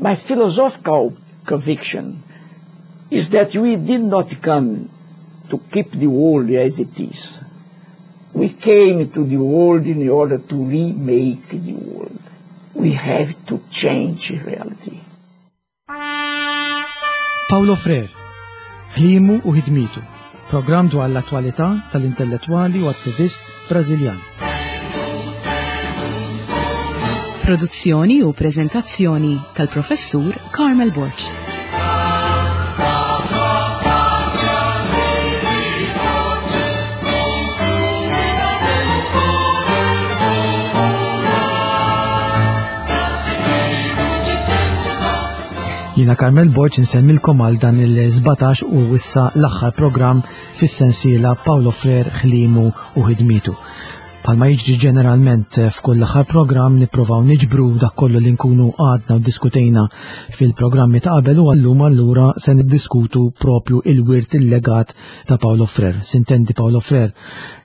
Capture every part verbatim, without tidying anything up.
My philosophical conviction is that we did not come to keep the world as it is. We came to the world in order to remake the world. We have to change reality. Paulo Freire, ħlimu u ħidmitu, programm dwar l-attwalità tal-intellettwali u attivist Brażiljan. Produzzjoni u prezentazzjoni tal-professur Carmel Borg. Jiena Carmel Borg insemmilkom għal dan il-sbatax u issa l-aħħar programm fis-sensiela Paulo Freire ħlimu u ħidmitu. Palma jiġri ġeneralment f'kull l-aħħar programm nippruvaw niġbru dak kollu li nkunu għadna u diskutejna fil-programmi ta' qabel u għallum allura se niddiskutu propju il-wirt il-legat ta' Paulo Freire. Sintendi Paulo Freire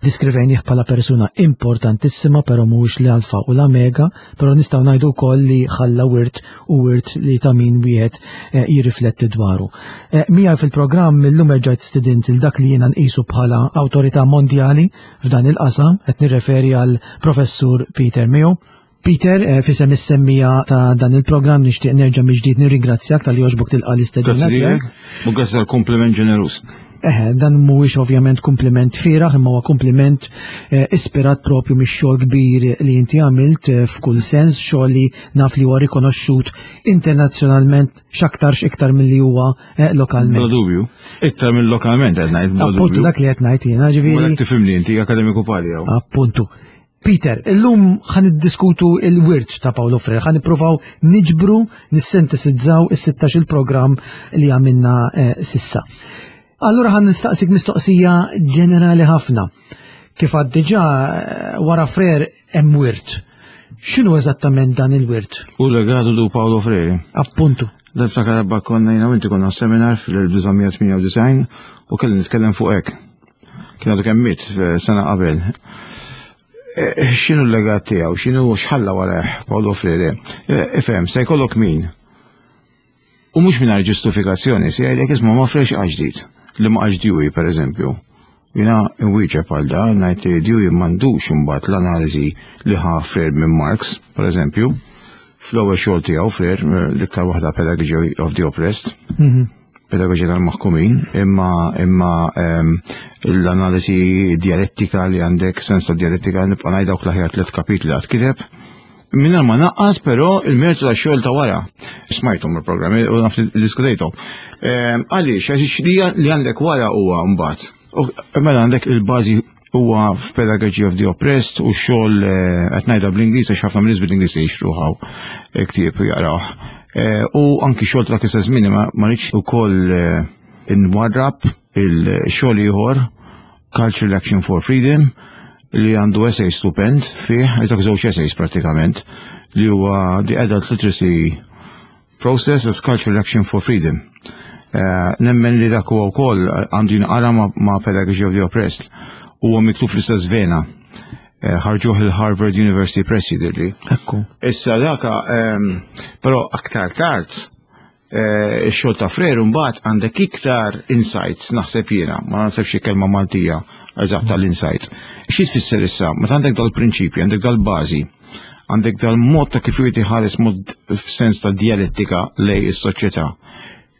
diskrivejnih bħala persuna importantissima però mhuwiex l-alfa u l-omega, però nistgħu ngħidu wkoll li ħalla wirt u wirt li ta' min wieħed eh, jirrifletti dwaru. Eh, Mija fil-programm illum erġajt stidint il dak li jiena nqisu bħala awtorità mondjali f'dan il-qasam, qed nirreferi għal professur Peter Mayo. Peter, eh, fisem is-semmija ta' dan il-programm nixtieq nerġa' mill-ġdid nirringrazzjak tal-li għoġbok tilqa' l-istedina Grazzi tiegħek. lilek. U grazzi tal-kompliment ġenerus. Eħe, dan mhuwiex ovvjament kompliment fieraħ, imma huwa kompliment eh, ispirat propju mix-xogħol kbir li inti għamilt eh, f'kull sens, xogħol li naf li huwa rikonoxxut internazzjonalment x'aktarx iktar milli huwa eh, Bla lokalment. dubju. Iktar minn lokalment qed ngħid, bla Appuntu dubju. dak li qed ngħid jiena, ġifieri. Wara tifhimni inti akademiku pali hawn. Appuntu. Peter, illum ħan iddiskutu il-wirt ta' Paulo Freire, ħan nippruvaw niġbru, nissintesizzaw is-sittax il-programm li għamilna eh, sissa. Allura ħan nistaqsik mistoqsija ġenerali ħafna. Kif għad diġà eh, wara Freire hemm wirt. X'inhu eżattament dan il-wirt? U legatu du Paulo Freire. Appuntu. Darba darba konna jiena u inti konna seminar fl-elf disa' mija tmienja u disgħin u kelli nitkellem fuq hekk. Kien għadu kemm miet eh, sena qabel. Eh, X'inhu l-legat tiegħu, x'inhu x'ħalla warah Paulo Freire? Eh, Ifhem, se jkollok min? U mhux mingħajr ġustifikazzjoni, se jgħidlek isma' ma Freire x'qal ġdid, li ma qalx Dewey pereżempju. Jiena nwieġeb għal da, ngħid li Dewey m'għandux imbagħad l-analiżi li ħa Freire minn Marx, pereżempju. Fl-ewwel xogħol tiegħu Freire, eh, l-iktar waħda Pedagogy of the Oppressed, pedagoġija tal-maħkumin, imma, imma, ehm, l-analiżi dialettika li għandek, sens ta' dialettika, nibqa' ngħid dawk l-aħjar tliet kapitli għad kiteb. Mingħajr ma naqqas però il-mertu ta' xogħol ta' wara. Smajthom il-programmi u naf li diskutejthom. Ehm, għaliex, għaliex li li għandek wara huwa mbagħad. U mela għandek il-bażi huwa f'Pedagogy of the Oppressed u xogħol, eh, qed ngħidha bl-Ingliż għax ħafna min-nies bl-Ingliż jixtruhaw, eh, ktieb u jaqrawh. Eh, u anki xogħol ta' kisa żmien ma, ma rridx ukoll, eh, inwarrab il-xogħol ieħor Cultural Action for Freedom li għandu essay stupend fih, għajtok żewġ essays pratikament, li huwa The Adult Literacy Process as Cultural Action for Freedom. Eh, nemmen li dak huwa wkoll għandu jinqara ma', ma' Pedagogy of the Oppressed. Huwa miktub fl-istess vena. Eh, ħarġuh il-Harvard University Press jidhirli. Ekku. Issa daka, ehm, però aktar tard, eh, ix-xogħol ta' Freire mbagħad għandek iktar insights naħseb jiena, ma naħsebx xi kelma Maltija eżatt tal-insights. Xi tfisser issa? Meta għandek dal-prinċipji, għandek dal-bażi, għandek dal-mod ta' kif wieħed iħares mod f'sens ta' dialettika lej is-soċjetà.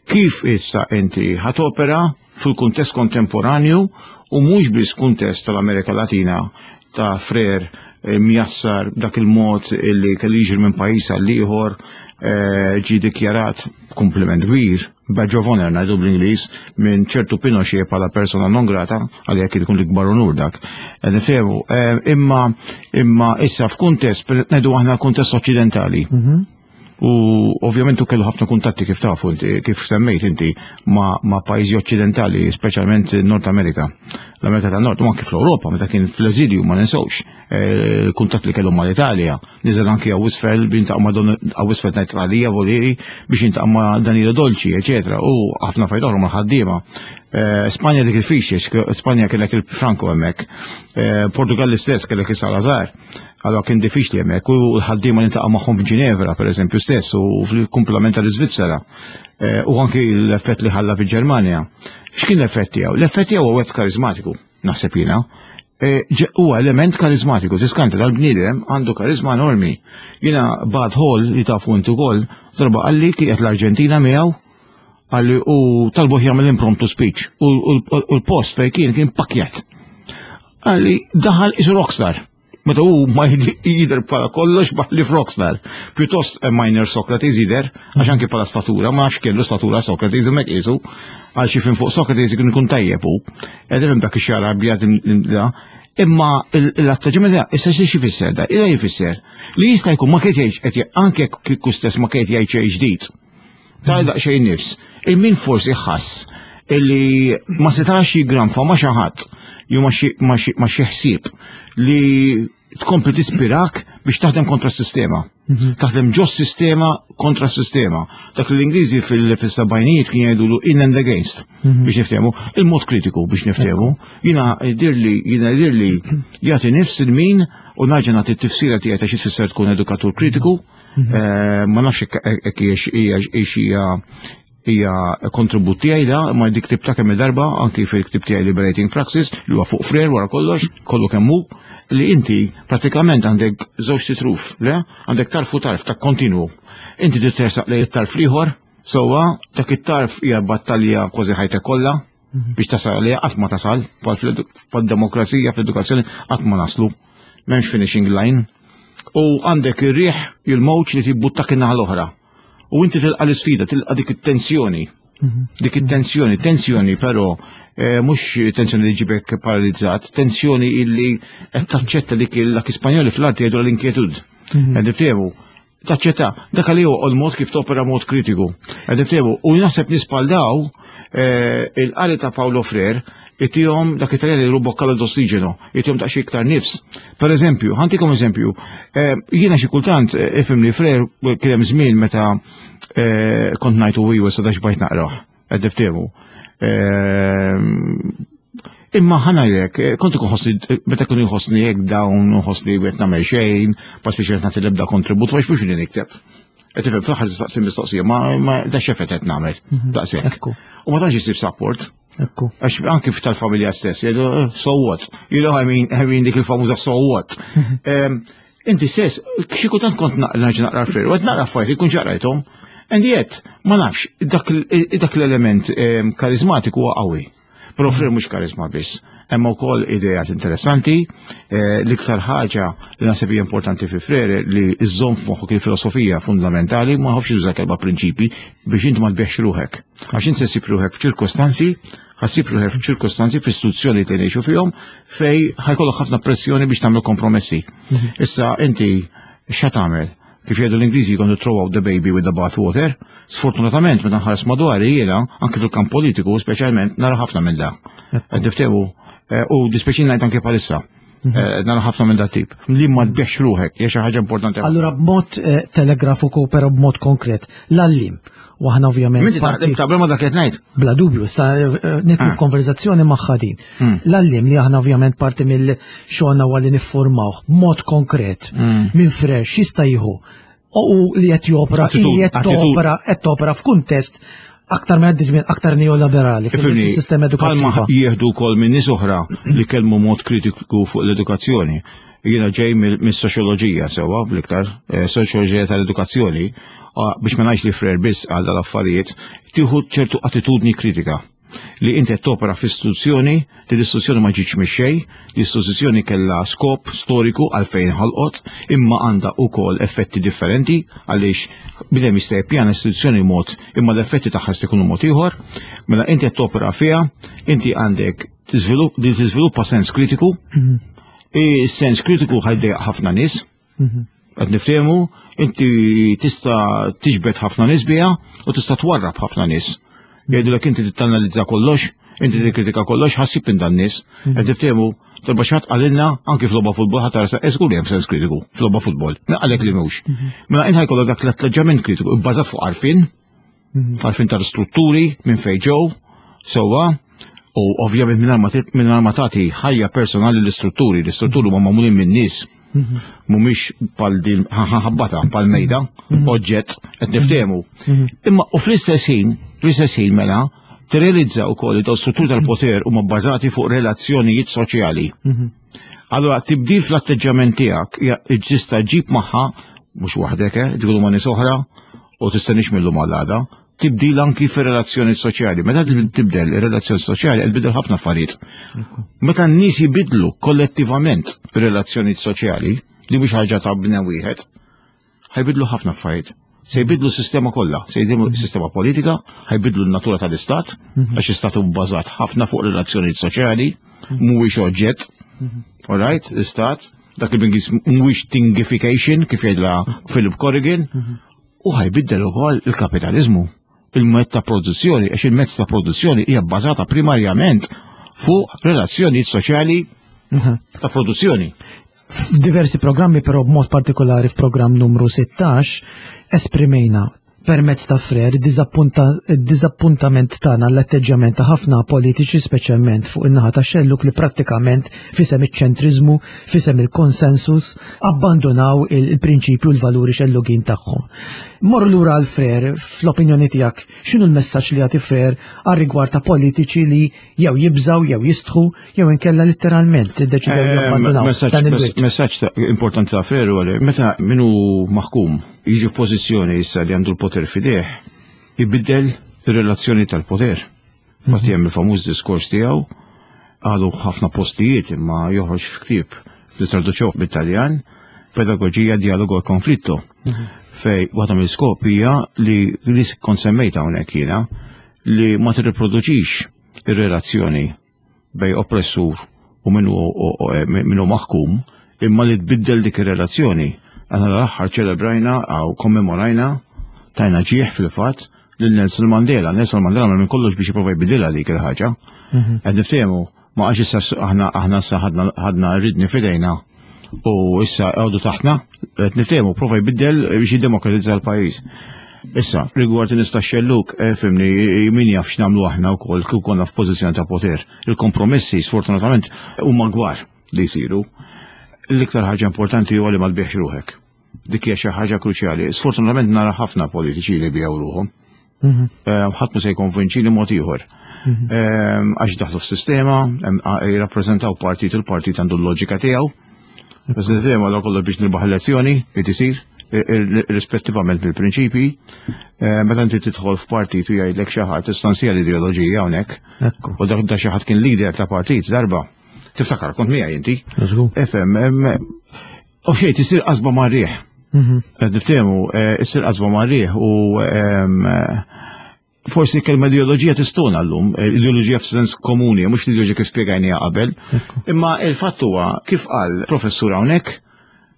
Kif issa inti ħatopera fil-kuntest kontemporanju u mhux biss kuntest tal-Amerika Latina ta' Freire, eh, mjassar dak il-mod illi kellu jiġri minn pajjiż għal ieħor, eh, ġie dikjarat kompliment kbir, badge of honor ngħidu bl-Ingliż, minn ċertu Pinochet bħala persona non grata, għalija kien ikun l-ikbar onur dak. Eh, nifhemu, eh, imma, imma issa f'kuntest, per ngħidu aħna kuntest oċċidentali. Mhm. U ovvjament u kellu ħafna kuntatti kif tafu inti, kif semmejt inti ma', ma' pajjiżi oċċidentali, speċjalment Nord Amerika. L-Amerika tan Nord, u anki fl-Ewropa, meta kien fl-eżilju ma ninsewx, eh, kuntatt li kellu mal-Italja, niżel anki għaw isfel, biex ma' Don, għaw isfel ngħid Italija, Volieri, biex jiltaqa' ma' Danilo Dolci, eċetera, u ħafna affarijiet oħra mal-ħaddiema. Eh, Spanja dik il-fixi, Spanja kellek il-Franco hemmhekk. Eh, Portugal l-istess kellek il-Salazar. Allora kien diffiċli hemmhekk u l-ħaddiema li ntaqa' magħhom f'Ġinevra pereżempju stess u fil-kumplament tal-Iżvizzera. Eh, u anki l-effett li ħalla fil-Ġermanja. X'kien l-effett tiegħu? L-effett tiegħu huwa karizmatiku, naħseb jiena. Huwa element karizmatiku, tiskanta dal-bniedem għandu karizma enormi. Jiena Bud Hall li tafu intu ukoll, darba qalli kienet l-Arġentina miegħu qalli u talbuh jagħmel impromptu speech u l-post fejn kien kien pakkjat. Qalli daħal qisu rockstar. Meta hu ma jidher bħala kollox li rockstar. Pjuttost minor Socrates jidher, għax anki bħala statura, ma nafx kellu statura Socrates hemmhekk qisu, għal xi fin fuq Socrates ikun ikun tajjeb hu. Qed dak ix-xagħar abjad imma l-atteġġament issa xi jfisser da? Ida jfisser li jista' jkun ma kiet jgħid anke kieku stess ma kiet jgħid xejn ġdid. Ta' daqsxejn nifs. Il-min forsi ħass illi ma setax jigranfa ma xi ħadd jew ma xi ħsieb li tkompli tispirak biex taħdem kontra s-sistema. Taħdem ġo sistema kontra s-sistema. Dak li l-Ingliżi fil-sebgħinijiet kien jgħidulu in and against biex niftehmu, il-mod kritiku biex niftehmu. Jiena dirli, jiena dirli jagħti nifs il-min u nerġa' nagħti t-tifsira tiegħi ta' xi tfisser tkun edukatur kritiku. Ma nafx hekk hija hija kontribut tiegħi da, ma dik ktibtha kemm darba anki fil-ktib tiegħi Liberating Praxis li huwa fuq Freire wara kollox, kollu kemm hu, li inti pratikament għandek żewġ titruf, le? Għandek tarf u tarf ta' kontinwu. Inti trid tersaq lejn it-tarf l-ieħor, sewwa dak it-tarf hija battalja kważi ħajtek kollha biex tasal għaliha qatt ma tasal, bħal-demokrazija fl-edukazzjoni qatt ma naslu. M'hemmx finishing line. U għandek ir-riħ il-mowġ li tibbuttak in-naħa l-oħra. U inti tilqa l-isfida, tilqa dik it-tensjoni. Dik it-tensjoni, tensjoni però eh, mhux tensjoni li ġibek paralizzat, tensjoni illi qed taċċetta dik l Ispanjoli fl-arti jgħidu l-inquietud. Qed niftehmu, taċċetta, dak li huwa l-mod kif topera mod kritiku. Qed niftehmu, u naħseb nispaldaw eh, il-qari ta' Paulo Freire itihom dak it-Taljan li boccata d'ossigeno, itihom daqsxejn iktar nifs. Per eżempju, ħa ntikom eżempju, eh, jiena xi kultant eh, ifhimni Freire kien hemm żmien meta eh, kont ngħidu iwa sa dax bajt naqrah, qed niftehmu. Imma ħa ngħidlek, kont ikun ħossni, meta kun jħossni hekk dawn, ħossni qed nagħmel xejn, pas biex qed nagħti l-ebda kontribut, ma biex li nikteb. Qed tifhem fl-aħħar tistaqsi mistoqsija, ma ma da x'effett qed nagħmel. Daqshekk. Ekku. U ma tantx isib support. Ekku. Għax anki tal-familja stess, jgħidu, eh, so what? You know, I mean, I mean dik il-famuża so what? Em, Inti stess, xi kultant kont naqra naqra Freire, u qed naqra affarijiet li kun ġarajthom, and yet, ma nafx, dak l- dak l-element em, karizmatiku huwa qawwi. Però Freire mhux karizma biss. Hemm ukoll idejat interessanti, eh, l-iktar ħaġa li naħseb hija importanti fi Freire li iżżomm f'moħħok il-filosofija fundamentali, ma ħafx juża kelma prinċipi biex inti ma tbieħx ruħek. Għax inti se ssib ruħek f'ċirkostanzi, ħa ssib ruħek f'ċirkostanzi f'istituzzjoni li ngħixu fihom fej ħa jkollok ħafna pressjoni biex tagħmel kompromessi. Issa inti x'ha tagħmel? Kif jgħidu l-Ingliżi you're going to throw out the baby with the bathwater. Sfortunatament, meta nħares madwari jiena, anke fil-kamp politiku, speċjalment, nara ħafna minn da. Qed niftehmu, eh, u dispjaċini ngħid anke bħalissa. Eh, Nara ħafna minn da tip. Li ma tbieħx ruħek, hija xi ħaġa importanti. ħafna. Allura b'mod eh, telegrafiku però b'mod konkret, l-għalliem, u aħna ovvjament Minti parti- taħdem tabel ma dak qed ngħid. Bla dubju, sa eh, nidħlu Ah. f'konverzazzjoni magħha din. Hmm. L-għalliem li aħna ovvjament parti mill-xogħolna huwa li niffurmaw b'mod konkret Hmm. minn Freire x'jista' jieħu u li qed jopra, Attitude, li qed attitude. topera qed topera f'kuntest aktar minn għaddi żmien aktar neoliberali Ifhimni, fil-sistema Palma edukattiva. jieħdu wkoll minn nies oħra li kellmu mod kritiku fuq l-edukazzjoni. Jiena ġej mill- mis-soċjoloġija sewwa bl-iktar, eh, soċjoloġija tal-edukazzjoni, ah, biex ma ngħidx li Freire biss għal dal-affarijiet, tieħu ċertu attitudni kritika li inti qed topera f'istituzzjoni, li l-istituzzjoni ma ġietx mix-xejn, l-istituzzjoni kellha skop storiku għalfejn ħalqot, imma għandha wkoll effetti differenti għaliex bidem jista' jippjana istituzzjoni mod imma l-effetti tagħha jista' jkunu mod ieħor. Mela inti qed topera fiha, inti għandek tiżvilupp- li tiżviluppa sens kritiku, is-sens kritiku ħa jdejjaq ħafna nies, qed niftehmu, inti tista' tiġbed ħafna nies biha u tista' twarrab ħafna nies. Jgħidulek inti tittanalizza kollox, inti tikkritika kollox, ħa ssib minn dan nies. Qed niftehmu, darba xi ħadd qalilna anki f'logħba futbol ħadd tara żgur hemm sens kritiku f'logħba futbol. Naqalek li mhux. Mela inti ħa jkollok dak l-atteġġament kritiku bbażat fuq għarfien, għarfien tal-strutturi minn fejn ġew, sewwa, U ovvjament mingħajr ma tagħti ħajja personali l-istrutturi, l-istrutturi huma magħmulin minn nies. Mhumiex pal din ħabbata, pal mejda, oġġett qed niftehmu. Imma u fl-istess ħin, fl-istess ħin mela, tirrealizza wkoll li daw strutturi tal-poter huma bbażati fuq relazzjonijiet soċjali. Allora tibdil fl-atteġġjament tiegħek tista' ġib magħha mhux waħdek, eh, tgħidu ma' nies oħra u tistenniex mill-lum għal tibdil anki fir-relazzjoni soċjali. Meta tibdel ir-relazzjoni soċjali qed tbidel ħafna affarijiet. Meta n-nies jibidlu kollettivament ir-relazzjoni soċjali, li mhux ħaġa ta' bniedem wieħed, ħa jbidlu ħafna affarijiet. Se jbidlu s-sistema kollha, se jbidlu s-sistema politika, ħa jbidlu n-natura tal-istat, għax istat hu bbażat ħafna fuq relazzjonijiet soċjali, mhuwiex oġġett. All right, istat, dak li bl-Ingliż mhuwiex thingification kif jgħidla Philip Corrigan, u ħa jbiddel ukoll il-kapitalizmu, il-mezz ta' produzzjoni, għax il-mezz ta' produzzjoni hija bbażata primarjament fuq relazzjonijiet soċjali ta' produzzjoni. F'diversi programmi, però b'mod partikolari f'programm numru sittax, esprimejna permezz ta' Frere id-diżappuntament tagħna l-atteġġjament ta' ħafna politiċi, speċjalment fuq in-naħa ta' xelluk, li prattikament fisem iċ-ċentrizmu, fisem il-konsensus, abbandonaw il-prinċipju u l-valuri xellugin tagħhom. Morru lura għal Frere, fl-opinjoni tiegħek, x'inhu l-messaġġ li jagħti Frere għal rigward ta' politiċi li jew jibżaw, jew jistħu, jew inkella letteralment iddeċidew Eh, jabbandonaw dan il-wirt? Messaġġ importanti ta' Frere huwa li meta minu maħkum jiġi f'pożizzjoni issa li għandu l-poter f'idejh, ibiddel ir-relazzjoni tal-poter. Infatti hemm il-famuż diskors tiegħu, għalu ħafna postijiet imma joħroġ f'ktieb li traduċew bit-Taljan, Pedagogia, Dialogo e Conflitto, fej waħda mill-skop hija li li kont semmejta hawnhekk jiena li ma tirriproduċix ir-relazzjoni bej oppressur u minnu minnu maħkum, imma li tbiddel dik ir-relazzjoni. Aħna l-aħħar ċelebrajna għaw kommemorajna, tajna ġieħ fil-fatt lil Nelson Mandela. Nelson Mandela minn kollox biex jipprova jbidilha dik il-ħaġa. Qed niftehmu, ma għax issa aħna aħna issa ħadna ħadna ridni f'idejna u issa għodu taħtna, qed niftehmu, prova jbiddel biex jiddemokratizza l-pajjiż. Issa, rigward nista xelluk, eh, fimni, min jaf x'nagħmlu aħna wkoll kieku konna f'pożizzjoni ta' poter. Il-kompromessi, sfortunatament, huma gwar li jsiru. L-iktar ħaġa importanti huwa li ma tbieħx ruħek. Dik hija xi ħaġa kruċjali. Sfortunatament nara ħafna politiċi li biegħu ruħhom. Eh, ħadd mhu se jkonvinċini mod ieħor. Eh, Għax daħlu f'sistema, jirrappreżentaw partit, il-partit għandu l-loġika tiegħu. Sistema għal kollu biex nirbaħ elezzjoni, irid isir, rispettivament mill-prinċipi. Eh, Meta inti tidħol f'partit u jgħidlek xi ħadd istansija l-ideoloġija hawnhekk. Ekku. U dak da xi ħadd kien leader ta' partit darba. Tiftakar kont miegħi inti. Żgur. Efem, u xejn tisir qasba mar-riħ. Qed niftehmu, eh, issir qasba mar-riħ u em, eh, forsi kelma ideoloġija tistona llum, eh, ideoloġija f'sens komuni, mhux l-ideoloġija kif spjegajniha qabel. Imma il-fatt huwa kif qal professur hawnhekk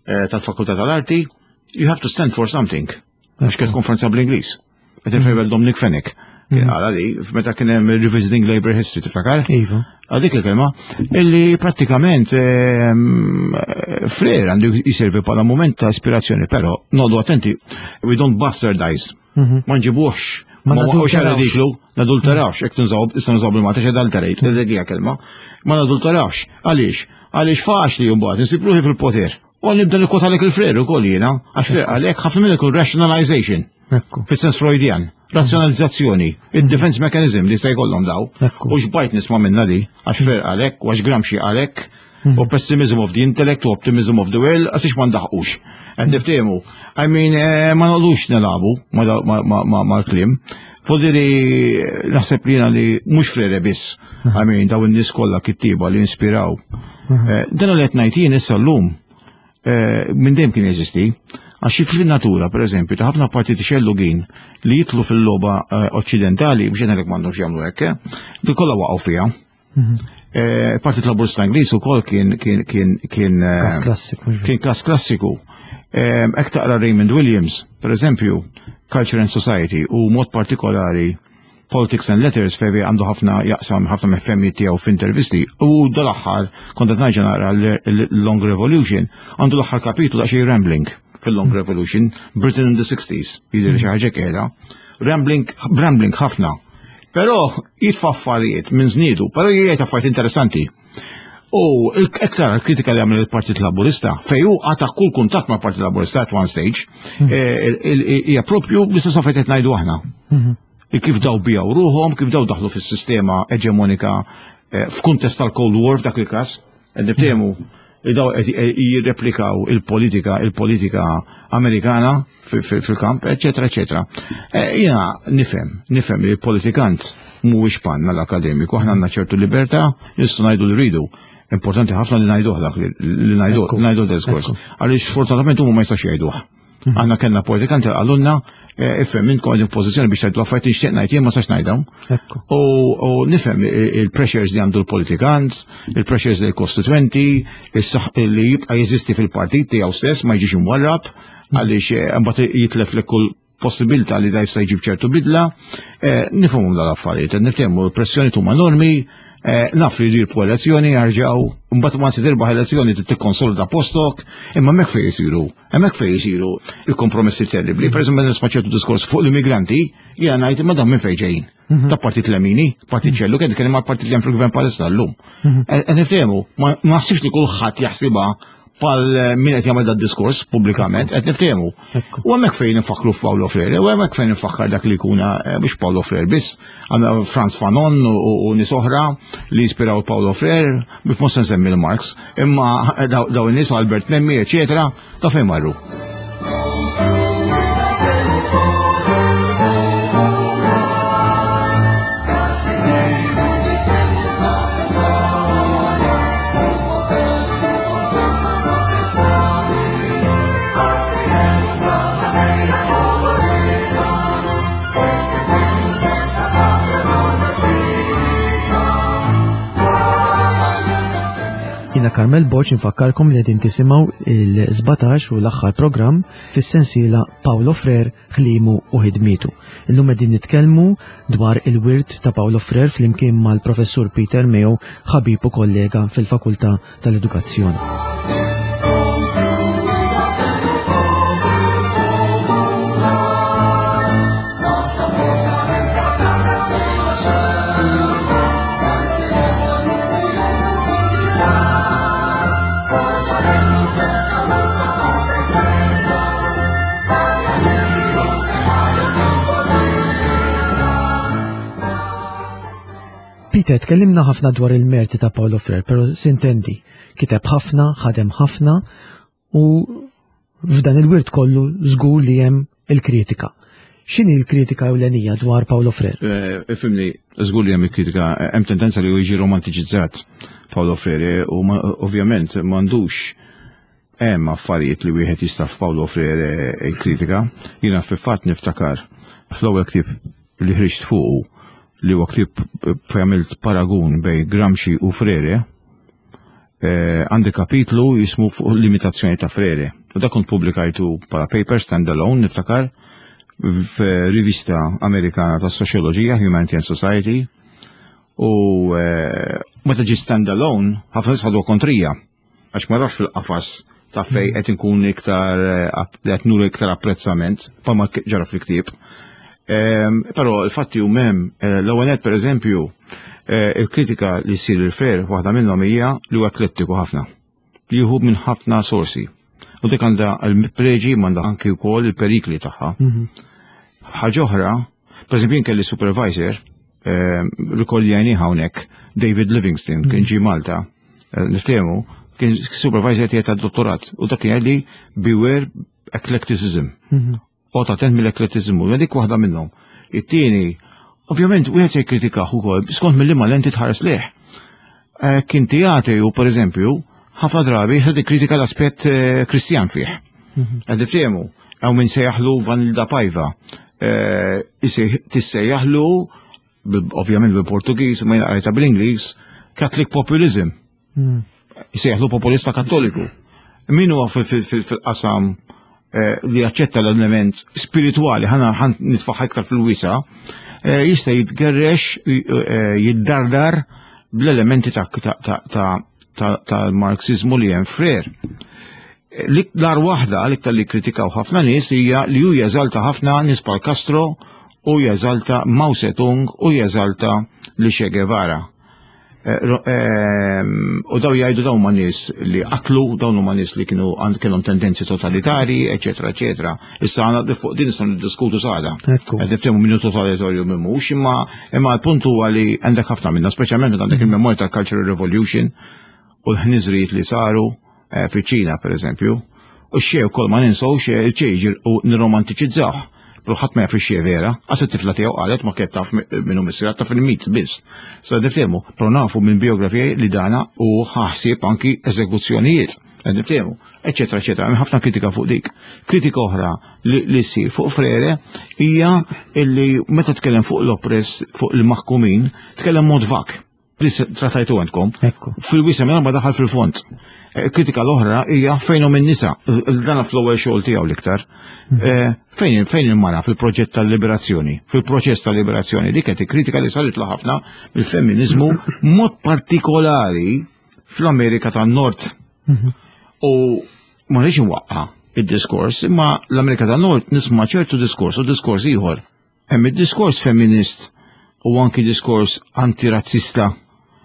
eh, tal-Fakultà tal-Arti, you have to stand for something. Għax kienet konferenza bl-Ingliż. Qed nirreferi Dominic Fenech. Kien qala li meta kien hemm Revisiting Labour History, tiftakar? Iva. Għadik il-kelma, illi prattikament ehm, Frere għandu jiservi bħala moment ta' ispirazzjoni, però noqogħdu attenti, we don't bastardize. Ma nġibuħx, Ma ma waqgħux nadulterawx. ridiklu, nadulterawx, jekk nużaw, issa nużaw bil-Malta x'adulterate, dik hija kelma. Ma nadulterawx, għaliex? Għaliex faċli mbagħad insib ruħi fil-poter. U nibda nikkwotalek il-Frere ukoll jiena, għax Frere għalhekk ħafna minn ikun rationalization. Ekku. Fis-sens Freudian, razzjonalizzazzjoni, il-defense mechanism li se jkollhom daw. Ekku. U xbajt nisma' minna di, għax Frere għalhekk, u għax Gramsci għalhekk, u pessimism of the intellect, u optimism of the will, għax ma ndaħqux. Qed niftehmu. I mean, eh, ma noqogħdux nilagħbu mal-kliem. Fodiri naħseb li jiena li mhux Frere biss. I mean, daw in-nies kollha kittiba li inspiraw. Eh, Dan li qed ngħid jien issa llum eh, minn dejjem kien jeżisti. Għax fil-natura, per eżempju, ta' ħafna partiti xellugin li jitlu fil-logħba eh, oċċidentali, biex ngħidlek m'għandhomx jagħmlu hekk, eh, di kollha waqgħu fiha. Eh, Partit Laburista Ingliż ukoll kien kien kien kien eh, Kas klassiku. mhux kien kas klassiku. Ek taqra Raymond Williams, per eżempju, Culture and Society u mod partikolari Politics and Letters fejn għandu ħafna jaqsam ħafna mefemmi tiegħu f'intervisti u dal-aħħar kont qed ngħid naqra l-Long Revolution, għandu l-aħħar kapitlu daqsxejn rambling fil-Long Revolution, Britain in the sixties, jidher xi ħaġa qiegħda. Rambling, rambling ħafna. Però jitfa' affarijiet minn żniedu, però jgħid affarijiet interessanti. U iktar kritika li għamel il-Partit Laburista, fej hu qata' kull kuntatt mal-Partit Laburista at one stage, hija propju l-istess affarijiet qed ngħidu aħna. Kif daw bijaw ruħhom, kif daw daħlu fis-sistema eġemonika f'kuntest tal-Cold War f'dak il-każ, qed niftehmu li daw qed jirreplikaw il-politika, il-politika Amerikana fil-kamp, eċetera, eċetera. Jiena nifhem, nifhem li l-politikant mhuwiex panna l-akademiku, aħna għandna ċertu libertà, nistgħu ngħidu li rridu. Importanti ħafna li ngħiduh dak li ngħidu ngħidu diskors. Għaliex fortunatament huma ma jistax jgħiduh. Aħna kellna politikanti qalulna ifhem intkom qegħdin f'pożizzjoni biex tgħidu affarijiet nixtieq ngħid jien ma sax ngħidhom. U nifhem il-pressures li għandu l-politikant, il-pressures li l-kostituenti, li jibqa' jeżisti fil-partit tiegħu stess ma jiġix imwarrab għaliex imbagħad jitlef li kull possibilità li da jista' jġib ċertu bidla. Nifhmhom dal-affarijiet, niftehmu l-pressjoni huma enormi. Naf li jdirbu elezzjoni, jarġaw, mbagħad ma se tirbaħ elezzjoni tikkonsolida postok, imma hemmhekk fejn isiru, hemmhekk fejn isiru il-kompromessi terribli. Per eżempju, nisma' ċertu diskors fuq l-immigranti, jiena ngħid imma dan minn fejn ġejjin. Ta' partit Lemini, partit ċellu, kien nitkellem mal partit li hemm fil-gvern Palestina llum. Qed niftehmu, ma naħsibx li kulħadd jaħsibha pal min qed jagħmel dat diskors pubblikament, qed niftehmu. U hemmhekk fejn infakkru f'Paulo Freire, u hemmhekk fejn infakkar dak li jkun mhux Paulo Freire biss, għandna Frantz Fanon u nies oħra li jispiraw Paulo Freire, biex mhux se nsemmi l-Marx, imma daw in-nies Albert Memmi, eċetera, ta' fejn marru. Jiena Carmel Borg nfakkarkom li qegħdin tisimgħu il-sbatax u l-aħħar programm fis-sensiela Paulo Freire, ħlimu u ħidmietu. Illum qegħdin nitkellmu dwar il-wirt ta' Paulo Freire flimkien mal-Professur Peter Mayo, ħabib u kollega fil-Fakultà tal-Edukazzjoni. Peter, tkellimna ħafna dwar il-merti ta' Paulo Freire, pero sintendi, kiteb ħafna, ħadem ħafna u f'dan il-wirt kollu żgur li hemm il-kritika. X'inhi l-kritika ewlenija dwar Paulo Freire? Ifhimni, żgur li hemm il-kritika, hemm tendenza li jiġi romantiċizzat Paulo Freire u ovvjament m'għandux hemm affarijiet li wieħed jista' f'Paulo Freire il-kritika. Jiena fil-fatt niftakar fl-ewwel ktieb li ħriġt fuqu li huwa ktieb fejn għamilt paragun bejn Gramsci u Freire, għandi kapitlu jismu fuq l-imitazzjoni ta' Freire. U dak kont pubblikajtu bħala paper standalone, niftakar, f'rivista Amerikana ta' Soċjoloġija, Humanity and Society. U meta ġie standalone, ħafna nies ħaduha kontrija, għax ma rafx fil-qafas ta' fej qed inkun iktar qed nuru iktar apprezzament, bħalma ġara fil-ktieb. Però il-fatti hu m'hemm, l-ewwel nett pereżempju, il-kritika li ssir lil Freire waħda minnhom hija li huwa eklettiku ħafna, li jieħu minn ħafna sorsi. U dik għandha l-preġi m'għandha anki wkoll il-perikli tagħha. Ħaġa oħra, pereżempju jien kelli supervisor, rikolli għajni hawnhekk, David Livingstone, kien ġie Malta, niftehmu, kien supervisor tiegħi tad-dottorat, u dak kien jgħidli beware eclecticism. U ta' tent mill-eklettiżmu, dik waħda minnhom. It-tieni, ovvjament, wieħed se jikkritikah ukoll skont mill-liema lenti tħares lih. Kien tiegħi u pereżempju, ħafna drabi ħed ikkritika l-aspett Kristjan fih. Qed niftehmu, hawn min sejjaħlu Vanilda Paiva. Tissejjaħlu, ovvjament bil-Portugiż, ma jaqrajta bil-Ingliż, Catholic Populism. Jsejjaħlu populista Kattoliku. Min huwa fil-qasam li jaċċetta l-element spirituali, ħana ħan nitfaħ iktar fil-wisa, jista' jitgerrex, jiddardar bl-elementi tal-Marxizmu li hemm Freire. L-ar waħda l-iktar li kritikaw ħafna nies hija li hu jeżalta ħafna nies bħal Castro u jeżalta Mao Zedong u jeżalta li Che Guevara. Eh, ehm, u daw jgħidu dawn ma nies li qatlu, dawn huma nies li kienu kellhom tendenzi totalitari, eċetera, eċetera. Issa għandna fuq din nistgħu niddiskutu sada. Qed niftehmu minnu totalitarju minn mhux, imma imma l-punt huwa li għandek ħafna minna, speċjalment meta għandek il-memorja tal-Cultural Revolution u l-ħniżrijiet li saru eh, fiċ-Ċina, pereżempju. U x-Che wkoll ma ninsewx ċejġir u nirromantiċizzawh. Però ħadd ma jaf ix vera, għas it-tifla tiegħu qalet ma kienet taf minnu missier taf il-mit biss. Sa niftehmu, però nafu minn biografija li dana u ħaħsieb anki eżekuzzjonijiet. Niftehmu, eċetera, eċetera. Hemm ħafna kritika fuq dik. Kritika oħra li, li ssir fuq Freire hija illi meta tkellem fuq l-oppress, fuq il-maħkumin, tkellem mod vak li trattajtu għandkom. Fil-wisa minn ma daħal fil-fond. Eh, kritika l-oħra hija fejn hum in-nisa, dana fl-ewwel xogħol tiegħu l-iktar. Mhm. Eh, fejn fejn il-mara fil-proġett tal-liberazzjoni, fil-proċess tal-liberazzjoni, dik qed kritika li sarit ħafna mill-femminizmu mod partikolari fl-Amerika tan-Nord. Mhm. U ma rridx inwaqqa' id-diskors, imma l-Amerika tan-Nord nisma' ċertu diskors u diskors ieħor. Hemm id-diskors femminist u anki diskors antirazzista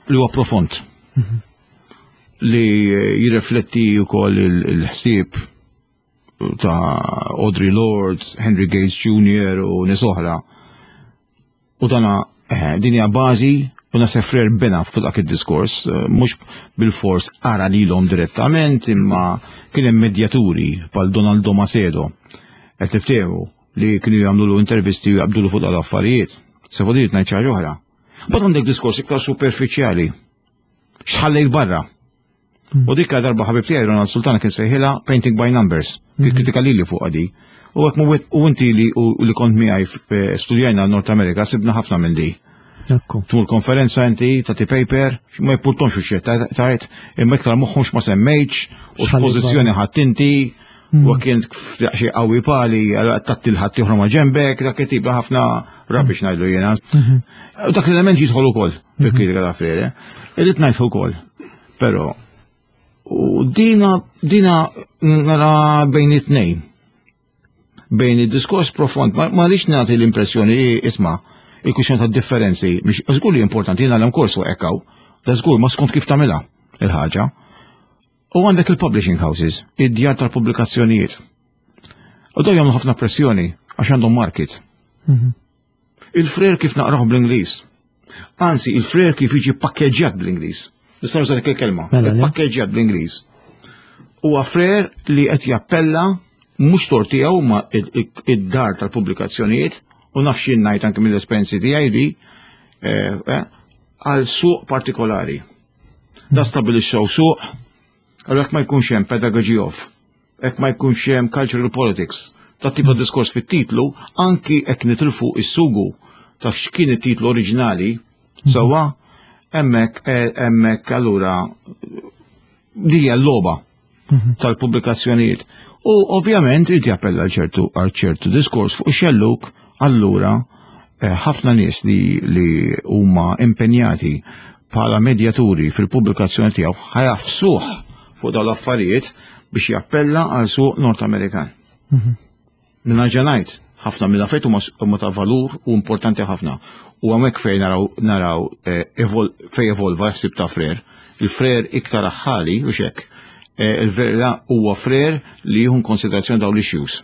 li huwa profond. Mhm. Li jirrifletti wkoll il-ħsieb ta' Audre Lorde, Henry Gates Junior u nies oħra. U dana eh, din hija bażi u naħseb Freire bena fuq dak id-diskors, eh, mhux bil-fors ara lilhom direttament, imma kien hemm medjaturi bħal Donaldo Macedo. Qed niftehmu li kienu jagħmlu intervisti u jaqbdulu fuq dal-affarijiet. Se fodijiet ngħid xi ħaġa oħra. Mbagħad għandek diskors iktar superfiċjali. X'ħallejt barra? U dik darba ħabib tiegħi Ronald Sultana kien sejħilha painting by numbers. Kien kritika lili fuq di. U hekk u inti li li kont miegħi studjajna North America sibna ħafna minn di. Tmur konferenza inti tagħti paper, ma jimpurtonx u tajt, imma iktar moħħhomx ma semmejtx, u x'pożizzjoni ħadd inti, u kien xi qawwi pali, tatti l-ħadd oħra ma ġembek, dak it-tip ħafna rubbish ngħidlu jiena. U dak l-element jidħol ukoll fil-kritika ta' Freire. Irrid ngħid ukoll. Però u dina dina nara bejn it-tnejn. Bejn id-diskors profond, ma rridx nagħti l-impressjoni isma' il-kwistjoni ta' differenzi, biex żgur li importanti jiena l korsu ekkaw, da żgur ma skont kif tagħmilha il-ħaġa. U għandek il-publishing houses, id-djar tal-pubblikazzjonijiet. U daw jagħmlu ħafna pressjoni għax għandhom market. Mhm. Il-Freire kif naqraħ bl-Ingliż. Anzi, il-Freire kif jiġi pakkeġġjat bl-Ingliż. Nista' nuża dik il-kelma. Mela, le? Pakkeġġjat bl-Ingliż. Huwa Freire li qed jappella mhux tort tiegħu ma id-dar tal-pubblikazzjonijiet u naf x'jien ngħid anke mill-esperjenzi tiegħi di eh, eh, għal suq partikolari. Da stabilixxew suq, għal jekk ma jkunx hemm pedagogy of, jekk ma jkunx hemm cultural politics, ta' tip ta' diskors fit-titlu, anki jekk nitilfu is-sugu ta' x'kien it-titlu oriġinali, sewwa, hemmhekk eh, hemmhekk allura dija l-logħba tal-pubblikazzjonijiet. U ovvjament irid jappella għal ċertu għal ċertu diskors fuq xelluk, allura eh, ħafna nies li li huma impenjati bħala medjaturi fil-pubblikazzjoni tiegħu ħa jagħfsuh fuq dawn l-affarijiet biex jappella għal suq Nord Amerikan. Minna ġanajt, ħafna mill-affarijiet huma huma ta' valur u importanti ħafna. U hemmhekk fejn naraw naraw eh, evol, fejn evolva s-sib ta' Freire. Il-Freire iktar aħħali u xek. Eh, Il-verità huwa Freire li jieħu konsiderazzjoni dawn l-issues.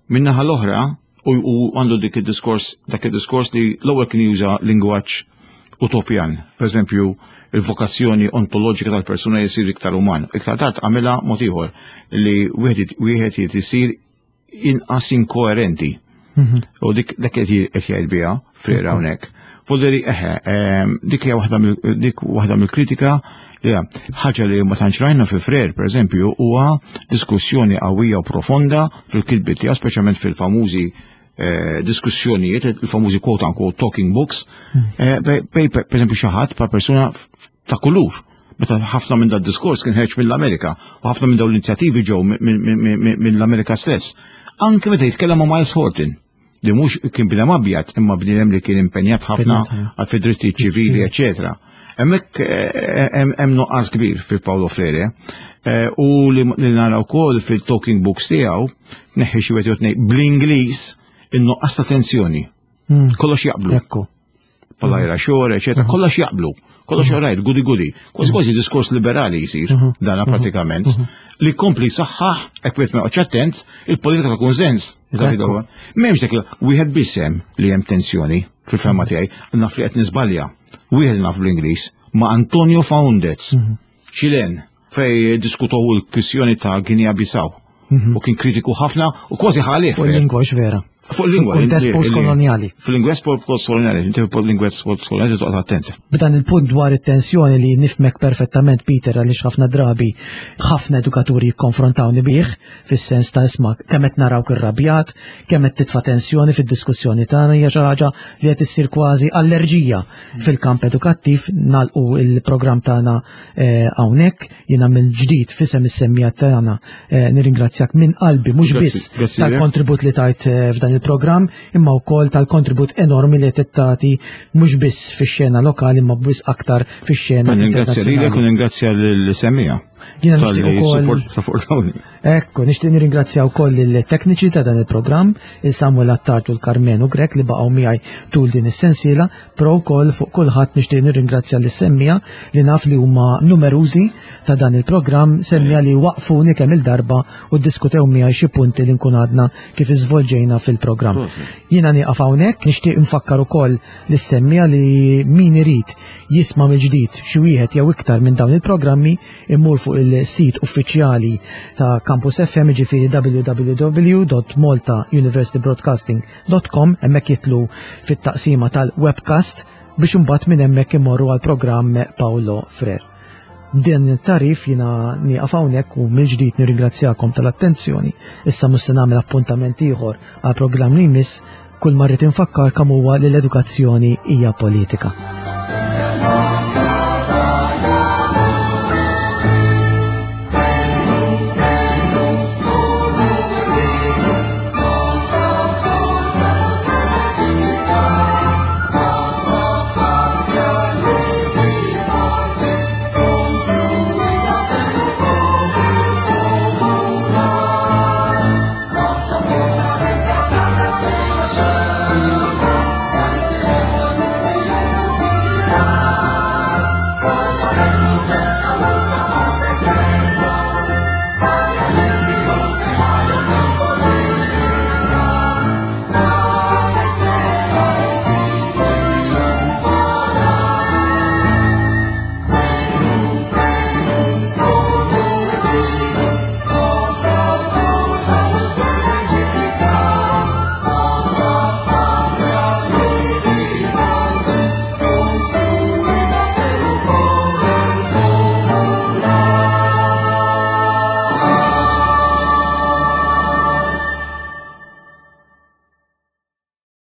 Minnaħa l-oħra, u u għandu dik id-diskors, dak id-diskors li l-ewwel kien juża lingwaġġ utopjan. Per eżempju, il-vokazzjoni ontoloġika tal-persuna jisir iktar uman. Iktar tard għamilha mod ieħor li wieħed wieħed jrid isir inqas inkoerenti. U dik dak qed qed jgħid biha Freire hawnhekk. Volderi eħe, ehm, dik hija waħda mill dik waħda mill-kritika li hija ħaġa li ma tantx rajna fi Freire, per eżempju, huwa diskussjoni qawwija u profonda fil-kitbiet tiegħu, speċjalment fil-famużi eh, diskussjonijiet, il-famużi quote unquote talking books, eh, bej, bej, per eżempju xi ħadd pa' persuna ta' kulur. Meta ħafna minn dat diskors kien ħerġ mill-Amerika u ħafna minn dawn l-inizjattivi ġew mill-Amerika stess. Anke meta jitkellem ma' Myles Horton, li mhux kien bniedem abjad, imma bniedem li kien impenjat ħafna għal fi drittijiet ċivili, eċetera. Hemmhekk eh, hemm hemm nuqqas kbir fi Paulo Freire. Eh, U li li nara wkoll fil-talking books tiegħu, neħħi xi wieħed jew tnejn bl-Ingliż, In-nuqqas ta' tensjoni. Mm. Kollox jaqblu. Ekku. Pala xor, eċetera, kollox jaqblu. Kollox right, goody goody. Kważi kważi diskors liberali jisir, dana pratikament, li kompli saħħaħ, hekk wieħed ma joqgħodx attent, il-politika ta' kunsens. Ekku. M'hemmx dak wieħed biss hemm li hemm tensjoni fil-fehma tiegħi, naf li qed niżbalja. Wieħed naf bl-Ingliż ma' Antonio Faundez, Ċilen, fej diskutow il-kwistjoni ta' Guinea Bissau. U kien kritiku ħafna u kważi ħalif. Fuq il-lingwa vera. Fuq il-lingwa. Fil-kuntest li- li- postkoloniali. Fil-lingwa postkoloniali, inti fil-lingwa postkoloniali toqgħod attent. B'dan il-punt dwar it-tensjoni li nifhmek perfettament, Peter, għaliex ħafna drabi ħafna edukaturi jikkonfrontawni bih fis-sens ta' isma' kemm qed narawk irrabjat, kemm qed titfa' tensjoni fid-diskussjoni tagħna, hija xi ħaġa li qed issir kważi allerġija fil-kamp edukattiv. Nagħlqu il-programm tagħna eh, hawnhekk. Jiena mill-ġdid f'isem is-semmiegħa tagħna eh, nirringrazzjak minn qalbi mhux Grazzi, biss grazzi tal-kontribut li tajt eh, f'dan il-programm imma wkoll tal-kontribut enormi li qed tagħti mhux biss fix-xena lokali imma biss aktar fix-xena Ningrazzja lilek u internazzjonali. ningrazzja l-semmiegħa. Jiena nixtieq ukoll Supportawni. Ekku, nixtieq nirringrazzja wkoll il-tekniċi ta' dan il-programm, il-Samuel Attard u l-Karmenu Grek li baqgħu miegħi tul din is-sensiela, però wkoll fuq kulħadd nixtieq nirringrazzja lis-semmiegħa li naf li huma numerużi ta' dan il-programm, semmiegħa li waqfuni kemm il-darba u ddiskutew miegħi xi punti li nkun għadna kif iżvolġejna fil-programm. Jiena nieqaf hawnhekk, nixtieq nfakkar ukoll lis-semmiegħa li min irid jisma' mill-ġdid xi wieħed jew iktar minn dawn il-programmi immur fuq il-sit uffiċjali ta' Campus F M, ġifieri w w w punt maltauniversitybroadcasting punt com, hemmhekk jitilgħu fit-taqsima tal-webcast biex imbagħad minn hemmhekk imorru għal programm Paulo Frere. Din it-tarif jiena nieqaf hawnhekk u mill-ġdid nirringrazzjakom tal-attenzjoni. Issa mhux se nagħmel appuntament ieħor għal programm li jmiss, kull ma rrid infakkar kemm huwa li l-edukazzjoni hija politika.